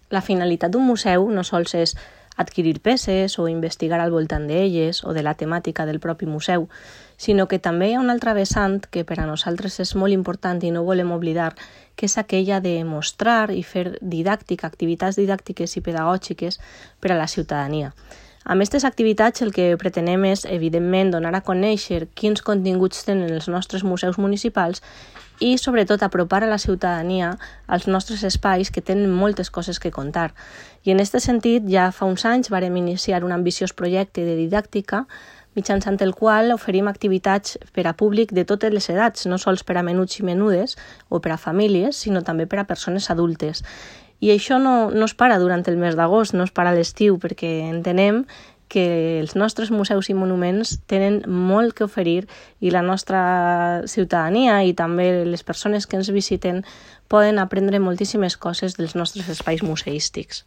La finalitat d'un museu no sols és adquirir peces o investigar al voltant d'elles o de la temàtica del propi museu, sinó que també hi ha un altre vessant que per a nosaltres és molt important i no volem oblidar, que és aquella de mostrar i fer didàctica, activitats didàctiques i pedagògiques per a la ciutadania. Amb aquestes activitats el que pretenem és, evidentment, donar a conèixer quins continguts tenen els nostres museus municipals i, sobretot, apropar a la ciutadania als nostres espais que tenen moltes coses que contar. I en aquest sentit, ja fa uns anys vàrem iniciar un ambiciós projecte de didàctica mitjançant el qual oferim activitats per a públic de totes les edats, no sols per a menuts i menudes o per a famílies, sinó també per a persones adultes. I això no es para durant el mes d'agost, no es para a l'estiu, perquè entenem que els nostres museus i monuments tenen molt que oferir i la nostra ciutadania i també les persones que ens visiten poden aprendre moltíssimes coses dels nostres espais museístics.